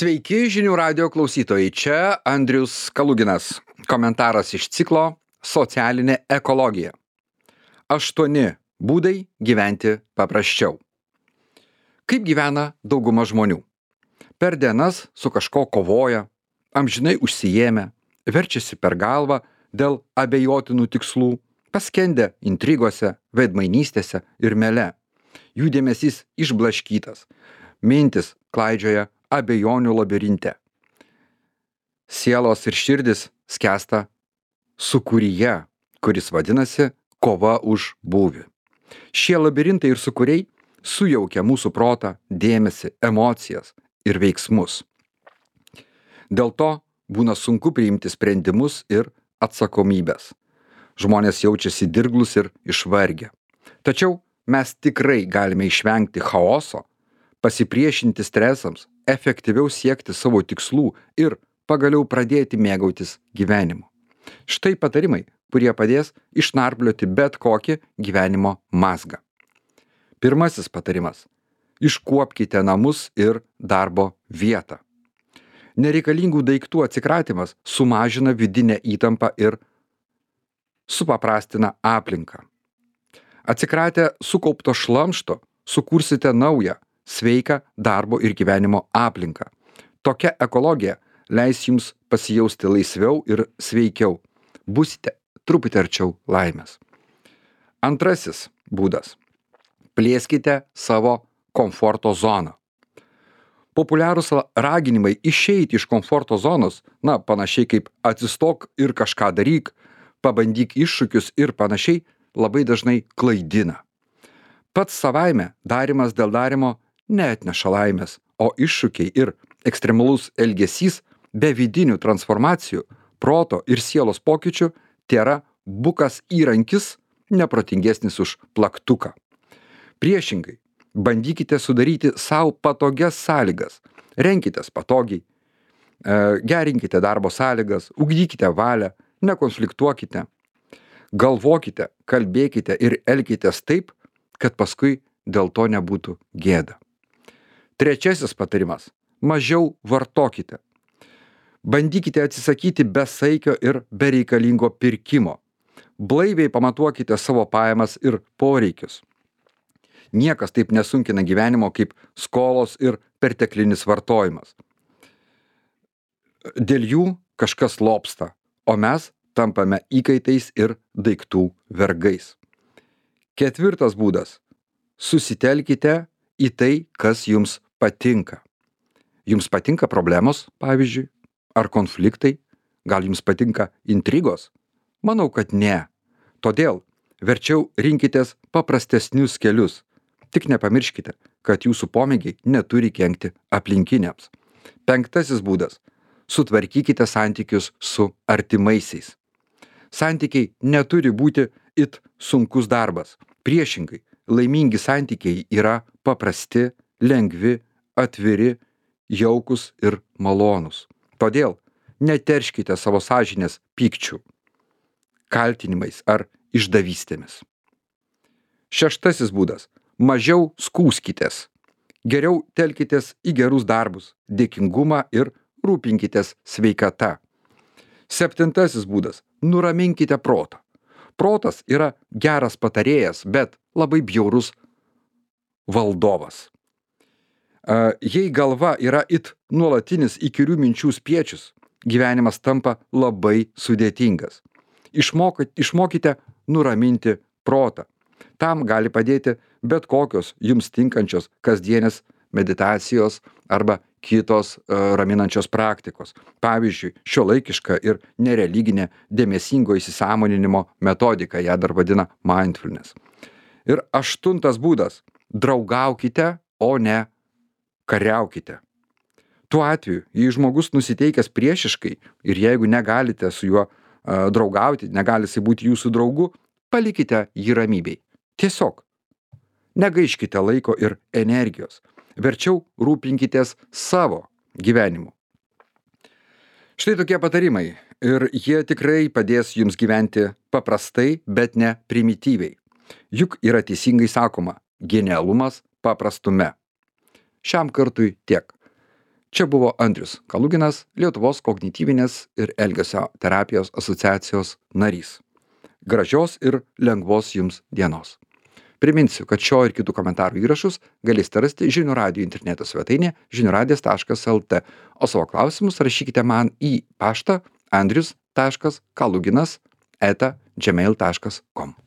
Sveiki žinių radio klausytojai, čia Andrius Kaluginas. Komentaras iš ciklo Socialinė ekologija. 8 būdai gyventi paprasčiau. Kaip gyvena dauguma žmonių? Per dienas su kažko kovoja, amžinai užsiėmę, verčiasi per galvą dėl abejotinų tikslų, paskendę intrigose, veidmainystėse ir mele. Jų dėmesys išblaškytas, mintis klaidžioja abejonių labirinte. Sielos ir širdis skęsta sūkuryje, kuris vadinasi kova už būvį. Šie labirintai ir sūkuriai sujaukia mūsų protą, dėmesį, emocijas ir veiksmus. Dėl to būna sunku priimti sprendimus ir atsakomybės. Žmonės jaučiasi dirglus ir išvargę. Tačiau mes tikrai galime išvengti chaoso, pasipriešinti stresams, efektyviau siekti savo tikslų ir pagaliau pradėti mėgautis gyvenimu. Štai patarimai, kurie padės išnarplioti bet kokį gyvenimo mazgą. Pirmasis patarimas. Iškuopkite namus ir darbo vietą. Nereikalingų daiktų atsikratymas sumažina vidinę įtampą ir supaprastina aplinką. Atsikratę sukaupto šlamšto sukursite naują, sveiką darbo ir gyvenimo aplinką. Tokia ekologija leis jums pasijausti laisviau ir sveikiau. Būsite truputį arčiau laimės. Antrasis būdas. Plėskite savo komforto zoną. Populiarūs raginimai išeiti iš komforto zonos, panašiai kaip atsistok ir kažką daryk, pabandyk iššūkius ir panašiai, labai dažnai klaidina. Pats savaime darymas dėl darymo neatneša laimės, o iššūkiai ir ekstremalus elgesys be vidinių transformacijų, proto ir sielos pokyčių tėra bukas įrankis, neprotingesnis už plaktuką. Priešingai, bandykite sudaryti savo patogias sąlygas, renkitės patogiai, gerinkite darbo sąlygas, ugdykite valią, nekonfliktuokite, galvokite, kalbėkite ir elkitės taip, kad paskui dėl to nebūtų gėda. Trečiasis patarimas. Mažiau vartokite. Bandykite atsisakyti besaikio ir bereikalingo pirkimo. Blaiviai pamatuokite savo pajamas ir poreikius. Niekas taip nesunkina gyvenimo kaip skolos ir perteklinis vartojimas. Dėl jų kažkas lobsta, o mes tampame įkaitais ir daiktų vergais. Ketvirtas būdas. Susitelkite į tai, kas jums patinka. Jums patinka problemos, pavyzdžiui, ar konfliktai? Gal jums patinka intrigos? Manau, kad ne. Todėl verčiau rinkitės paprastesnius kelius. Tik nepamirškite, kad jūsų pomėgiai neturi kenkti aplinkiniams. Penktasis būdas. Sutvarkykite santykius su artimaisiais. Santykiai neturi būti it sunkus darbas. Priešingai, laimingi santykiai yra paprasti, lengvi, atviri, jaukus ir malonūs. Todėl neterškite savo sąžinės pykčių, kaltinimais ar išdavystėmis. Šeštasis būdas. Mažiau skųskitės. Geriau telkitės į gerus darbus, dėkingumą ir rūpinkitės sveikata. Septintasis būdas. Nuraminkite protą. Protas yra geras patarėjas, bet labai bjaurus valdovas. Jei galva yra it nuolatinis įkyrių minčių spiečius, gyvenimas tampa labai sudėtingas. Išmokite nuraminti protą. Tam gali padėti bet kokios jums tinkančios kasdienės meditacijos arba kitos raminančios praktikos. Pavyzdžiui, šiuolaikiška ir nereliginė dėmesingo įsisąmoninimo metodika, ją dar vadina mindfulness. Ir aštuntas būdas. Draugaukite, o ne kariaukite. Tuo atveju, jei žmogus nusiteikęs priešiškai ir jeigu negalite su juo draugauti, negali jisai būti jūsų draugu, palikite jį ramybei. Tiesiog negaiškite laiko ir energijos. Verčiau rūpinkitės savo gyvenimu. Štai tokie patarimai ir jie tikrai padės jums gyventi paprastai, bet ne primityviai. Juk yra teisingai sakoma, genialumas paprastume. Šiam kartui tiek. Čia buvo Andrius Kaluginas, Lietuvos kognityvinės ir elgesio terapijos asociacijos narys. Gražios ir lengvos jums dienos. Priminsiu, kad šio ir kitų komentarų įrašus galėsite rasti Žinių radijo interneto svetainėje žiniuradijas.lt, o savo klausimus rašykite man į paštą andrius.kaluginas@gmail.com.